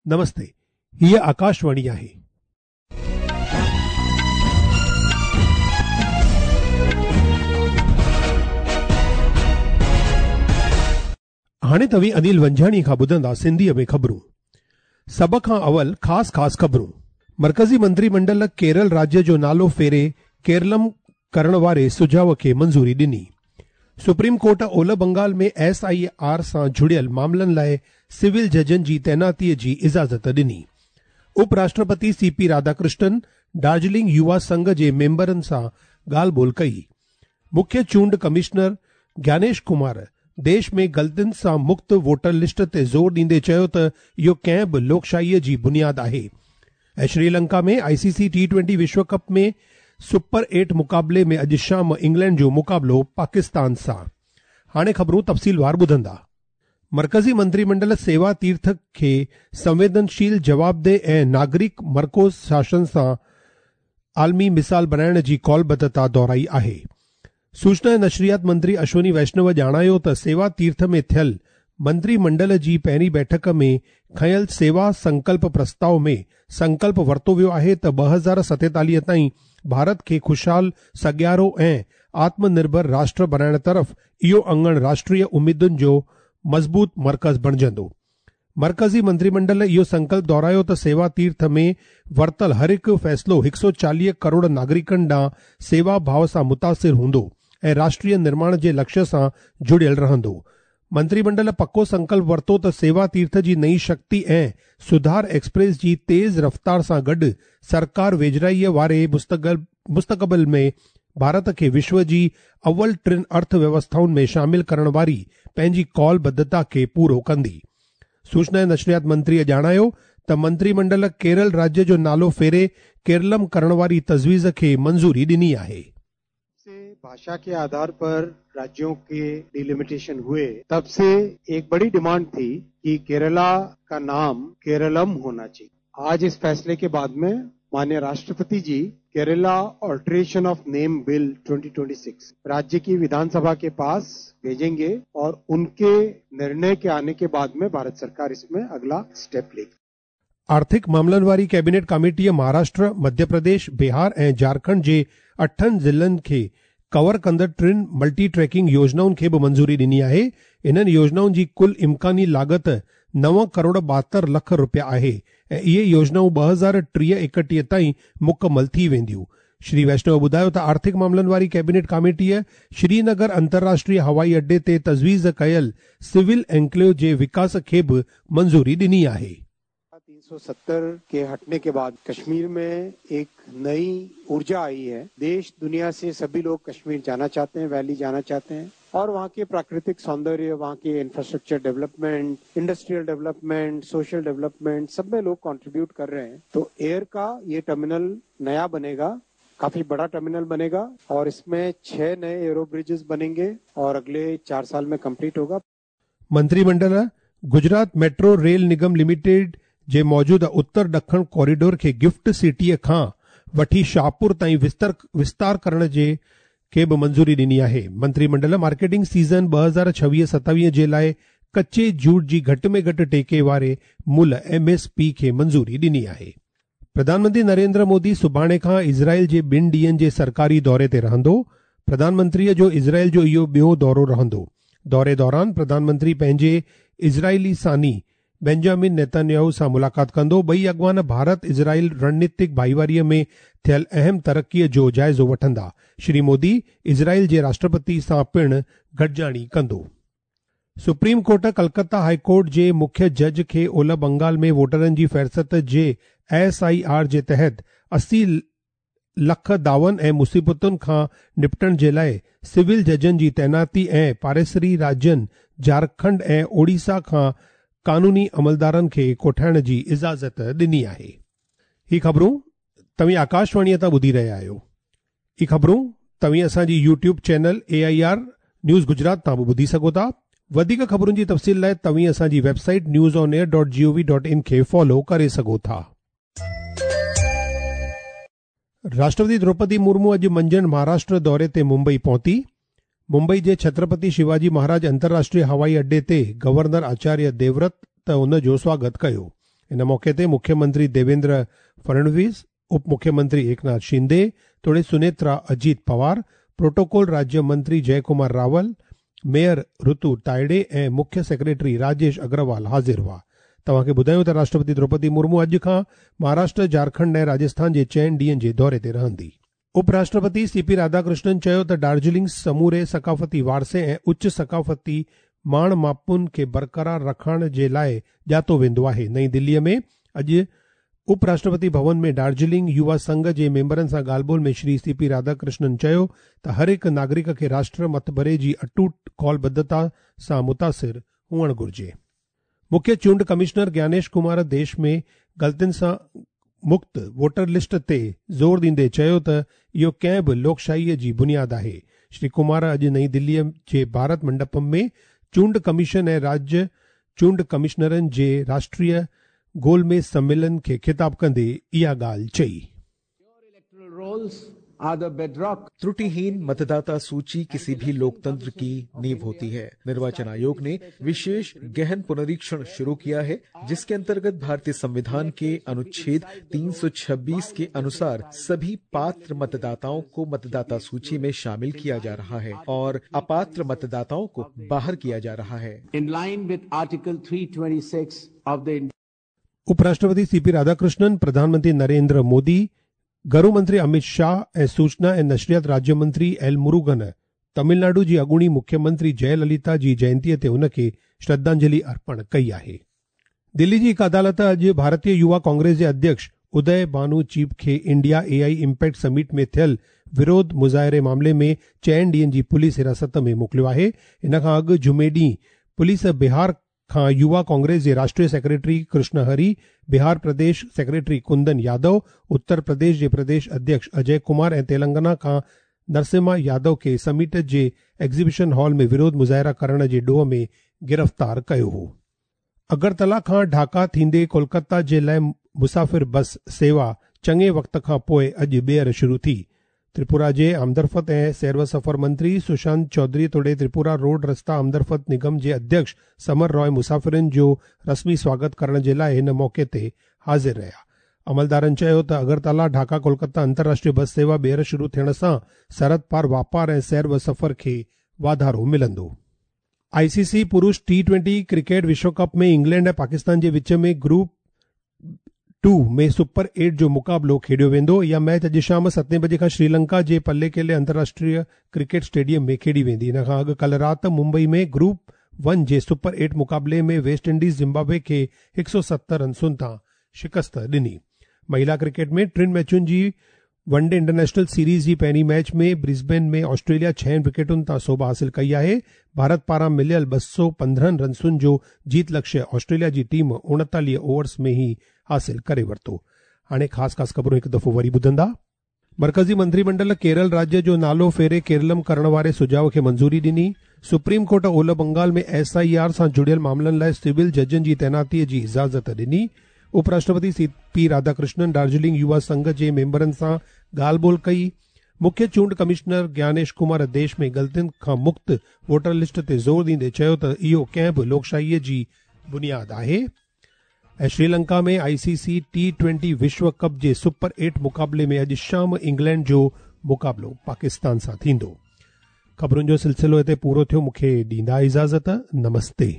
نمستي، هيء آڪاشواڻي آهي. هاڻي توهين انيل ونجهاڻي کان ٻڌندا سنڌيء ۾ خبرون. سڀ کان اول خاص خاص خبرون. مرڪزي منتري منڊل ڪيرل راجيه جو نالو ڦيري ڪيرلم ڪرڻ واري سجهاء کي منظوري ڏني. سپريم ڪورٽ اولهه بنگال ۾ ايس I R سان جڙيل معاملن لاء سول ججن جي تعيناتي جي اجازت ڏني. اپ راشٽرپتي سي پي راڌاڪرشنن ڊارجلنگ يووا سنگهه جي ميمبرن سان ڳالهه ٻولهه ڪئي. مکيه چونڊ ڪمشنر گيانيش ڪمار ديش ۾ غلطين سان مڪت ووٽر لسٽ تي زور ڏيندي چيو ته اهو ڪنهن به لوڪشاهي جي بنياد آهي. ۽ Sri Lanka ۾ I C C T twenty Vishu cup ۾ super eight مقابلي ۾ اڄ شام انگلينڊ جو مقابلو پاڪستان سان. هاڻي خبرون تفصيلوار ٻڌندا. مرڪزي منتري منڊل سيوا تيرٿ کي سنويدنشيل، جوابده ۽ ناگرڪ مرڪوز شاسن سان عالمي مثال بڻائڻ جي قولبڌتا دهرائي آهي. سوچنا ۽ نشريات منتري اشوني ويشنو ڄاڻايو ته سيوا تيرٿ ۾ ٿيل منتري منڊل جي پهرين بيٺڪ ۾ کنيل سيوا سنڪلپ پرستاء ۾ سنڪلپ ورتو ويو آهي ته 2047 تائين ڀارت کي خوشحال، سگهارو ۽ آتم نرڀر راشٽر بڻائڻ طرف اهو اڱڻ راشٽريه اميدن جو مضبوط مرڪز بڻجندو. مرڪزي منتري منڊل اهو سنڪلپ دهرايو ته سيوا تيرٿ ۾ ورتل هر هڪ فيصلو 140 ڪروڙ ناگرڪن ڏانهن سيوا ڀاء سان متاثر هوندو ۽ راشٽريه نرماڻ جي لڪشيه سان جڙيل رهندو. منتري منڊل پڪو سنڪلپ ورتو ته سيوا تيرٿ جي نئين شڪتي ۽ سڌار ايڪسپريس جي تيز رفتار سان گڏ سرڪار ويجهڙائيء واري مستقبل ۾ ڀارت کي وشو جي اول ٽن ارٿ ويوسٿائن ۾ شامل ڪرڻ واري پنهنجي قول ٻڌتا کي پورو ڪندي. سوچنا ۽ نشريات منتريء ڄاڻايو ته منتري منڊل ڪيرل راجيه جو نالو ڦيري ڪيرلم ڪرڻ واري تجويز کي منظوري ڏني آهي. से भाषा के आधार पर राज्यों के डिलिमिटेशन हुए तब से एक बड़ी डिमांड थी कि केरला का नाम केरलम होना चाहिए। आज इस फैसले के बाद में माननीय राष्ट्रपति जी Kerala alteration of name bill 2026 राज्य की विधानसभा के पास भेजेंगे और उनके निर्णय के आने के बाद में भारत सरकार इसमें अगला स्टेप लेगी। آرٿڪ معاملن واري ڪيبينيٽ ڪاميٽيء مهاراشٽر، مڌيه پرديش، بهار ۽ جهارکنڊ جي اٺن ضلعن کي ڪور ڪندڙ ٽن ملٽي ٽريڪنگ يوجنائن کي به منظوري ڏني آهي. انهن يوجنائن جي ڪل امڪاني لاڳت نو ڪروڙ 72 لک رپيا آهي ۽ اهي يوجنائون 2030 31 تائين مڪمل ٿي وينديون. شري ويشنو ٻڌايو ته آرٿڪ معاملن واري ڪيبينيٽ ڪاميٽيء شرينگر انترراشٽريه هوائي اڏي تي تجويز ڪيل سول انڪليو جي وڪاس کي به منظوري ڏني آهي. 370 के हटने के बाद कश्मीर में एक नई ऊर्जा आई है। देश दुनिया से सभी लोग कश्मीर जाना चाहते हैं, वैली जाना चाहते हैं और वहाँ के प्राकृतिक सौंदर्य, वहाँ के infrastructure development, industrial development, social development सब में लोग कंट्रीब्यूट कर रहे हैं। तो एयर का ये टर्मिनल नया बनेगा, काफी बड़ा टर्मिनल बनेगा और इसमें 6 नए एरो ब्रिजेस बनेंगे और अगले 4 साल में कंप्लीट होगा। منتري منڊل Gujarat metro rail Nigam limited جي موجوده اتر ڏکڻ ڪوريڊور کي گفٽ سٽيء کان وٺي شاهپور تائين وستار ڪرڻ جي کي به منظوري ڏني آهي. منتري منڊل مارڪيٽنگ سيزن 2026 27 جي لاء ڪچي جوٽ جي گهٽ ۾ گهٽ ٽيڪي واري ملهه، ايم ايس پي، کي منظوري ڏني آهي. پرڌان منتري نريندر مودي سڀاڻي کان اسرائيل جي ٻن ڏينهن جي سرڪاري دوري تي رهندو. پرڌان منتريء جو اسرائيل جو اهو ٻيو دورو رهندو. دوري دوران پرڌان منتري پنهنجي اسرائيلي ثاني بينجامن نيتانياهو سان ملاقات ڪندو. ٻئي اڳواڻ ڀارت اسرائيل رڻنيتڪ ڀائيواري ۾ ٿيل اهم ترقيء جو جائزو وٺندا. شري مودي اسرائيل جي راشٽرپتي سان پڻ گڏجاڻي ڪندو. Supreme court Calcutta high court جي مکيه جج کي اولهه بنگال ۾ ووٽرن جي فهرست جي ايس I R جي تحت 80 لک دعون ۽ مصيبتن کان نپٽڻ جي لاء سول ججن جي تعيناتي ۽ پاڙيسري راجين جهارکنڊ ۽ اوڙيسا کان قانوني عملدارن کي ڪوٺائڻ جي اجازت ڏني آهي. هي خبرون توهين آڪاشواڻيء تان ٻڌي رهيا آهيو. هي خبرون توهين اسان جي YouTube channel A I R news Gujarat تان به ٻڌي سگهو ٿا. وڌيڪ خبرن جي تفصيل لاء توهين اسان جي website news on air dot G O V dot in کي فالو ڪري سگهو ٿا. راشٽرپتي دروپدي مرمو اڄ منجهند مهاراشٽر دوري تي ممبئي پهتي. ممبئي جي ڇترپتي شيواجي مهاراج انترراشٽريه هوائي اڏي تي گورنر آچاريه ديورت ان جو سواگت ڪيو. ان موقعي تي مکيه منتري ديويندر فڙنويس، اپ مکيه منتري ايڪناٿ شندي توڙي سنيترا اجيت پوار، پروٽوڪول راجيه منتري جئه ڪمار راول، ميئر رتو تائڙي ۽ مکيه سيڪريٽري راجيش اگروال حاضر هئا. توهان کي ٻڌايون ته راشٽرپتي دروپدي مرمو اڄ کان مهاراشٽر، جهارکنڊ ۽ راجسٿان جي چئن ڏينهن جي دوري تي رهندي. اپ راشٽرپتي سي پي راڌاڪرشنن چيو ته ڊارجلنگ سموري ثقافتي وارثي ۽ اچ ثقافتي ماڻ ماپن کي برقرار رکڻ جي لاء ڄاتو ويندو آهي. نئين دلي ۾ اڄ اپ راشٽرپتي ڀون ۾ ڊارجلنگ يووا سنگهه جي ميمبرن سان ڳالهه ٻولهه ۾ شري سي پي راڌاڪرشنن چيو ته هر هڪ ناگرڪ کي راشٽر مٿڀري جي اٽوٽ قولبڌتا سان متاثر هئڻ گهرجي. مکيه چونڊ ڪمشنر گيانيش ڪمار ديش ۾ غلطين سان مڪت ووٽر لسٽ تي زور ڏيندي چيو ته اهو ڪنهن به لوڪشاهي جي بنياد آهي. شري ڪمار اڄ نئين دلي جي ڀارت منڊپم ۾ چونڊ ڪميشن ۽ راجيه چونڊ ڪمشنرن جي راشٽريه گول ميز سميلن کي خطاب ڪندي اها ڳالهه چئي. त्रुटिहीन मतदाता सूची किसी भी लोकतंत्र की नींव होती है। निर्वाचन आयोग ने विशेष गहन पुनरीक्षण शुरू किया है, जिसके अंतर्गत भारतीय संविधान के अनुच्छेद 326 के अनुसार सभी पात्र मतदाताओं को मतदाता सूची में शामिल किया जा रहा है और अपात्र मतदाताओं को बाहर किया जा रहा है। In line with Article 326 of the उपराष्ट्रपति सी पी राधाकृष्णन, प्रधानमंत्री नरेंद्र मोदी, گهرو منتري امت شاهه ۽ سوچنا ۽ نشريات راجيه منتري ايل مروگن تمل ناڊو جي اڳوڻي مکيه منتري جئه لليتا جي جينتي تي هن کي شرڌانجلي ارپڻ ڪئي آهي. دلي جي هڪ عدالت اڄ ڀارتيه يووا ڪانگريس جي اڌيڪش ادي ڀانو چيب کي انڊيا اي آء امپيڪٽ سمٽ ۾ ٿيل وروڌ مظاهري معاملي ۾ چئن ڏينهن جي پوليس حراست ۾ موڪليو آهي. ان کان اڳ جمعي ڏينهن پوليس بهار کان يووا ڪانگريس جي راشٽريه سيڪريٽري ڪرشن هري، بهار پرديش سيڪريٽري ڪندن يادو، اتر پرديش جي پرديش اڌيڪش اجي ڪمار ۽ تيلنگانا کان نرسمها يادو کي سمٽ جي ايگزيبيشن هال ۾ وروڌ مظاهرا ڪرڻ جي ڏوهه ۾ گرفتار ڪيو هو. اگرتلا کان ڍاڪا ٿيندي ڪولڪتا جي لاء مسافر بس سيوا چڱي وقت کان پوء اڄ ٻيهر شروع ٿي. تريپورا جي آمدرفت ۽ سير و سفر منتري سشانت چوڌري توڙي تريپورا روڊ رستا آمدرفت نگم جي اڌيڪش سمر راء مسافرن جو رسمي سواگت ڪرڻ جي لاء هن موقعي تي حاضر رهيا. عملدارن چيو ته اگرتالا ڍاڪا ڪولڪتا انترراشٽريه بس سيوا ٻيهر شروع ٿيڻ سان سرحد پار واپار ۽ سير و سفر کي واڌارو ملندو. آء سي سي پرش ٽي ٽوئنٽي ڪرڪيٽ وشو ڪپ ۾ انگلينڊ ۽ پاڪستان جي وچ ۾ گروپ ٽو ۾ سپر ايٽ جو مقابلو کيڏيو ويندو. اها ميچ اڄ شام ستين بجي کان شريلنڪا جي پليڪيلي انترراشٽريه ڪرڪيٽ اسٽيڊيم ۾ کيڏي ويندي. ان کان اڳ ڪلهه رات ممبئي ۾ گروپ ون جي سپر ايٽ مقابلي ۾ ويسٽ انڊيز زمبابوي کي 170 رنسن تان شڪست ڏني. مهيلا ڪرڪيٽ ۾ ٽن ميچن جي ون ڊي انٽرنيشنل سيريز جي پهرين ميچ ۾ برسبين ۾ آسٽريليا ڇهن وڪيٽن تان سوڀ حاصل ڪئي آهي. ڀارت پاران مليل 215 رنسن جو جيت لڪشيه آسٽريليا جي ٽيم 39 اوورز ۾ ئي حاصل ڪري ورتو. هاڻي خاص خاص خبرون هڪ دفعو وري ٻڌندا. مرڪزي منتري منڊل ڪيرل راجيه جو نالو ڦيري ڪيرلم ڪرڻ واري سجهاء کي منظوري ڏني. سپريم ڪورٽ اولهه بنگال ۾ ايس I R سان جڙيل معاملن لاء سول ججن جي تعيناتي جي اجازت ڏني. اپراشٽرپتي سي پي راڌاڪرشنن ڊارجلنگ يووا سنگهه جي ميمبرن سان ڳالهه ٻولهه ڪئي. مکيه چونڊ ڪمشنر گيانيش ڪمار ديش ۾ غلطين کان مڪت ووٽر لسٽ تي زور ڏيندي چيو ته اهو ڪنهن به لوڪشاهي جي بنياد آهي ۽ شريلنڪا ۾ آء سي سي ٽي ٽوئنٽي وشو ڪپ جي سپر ايٽ مقابلي ۾ اڄ شام انگلينڊ جو مقابلو پاڪستان سان ٿيندو. خبرن جو سلسلو هتي پورو ٿيو مون کي ڏيندا اجازت نمستي.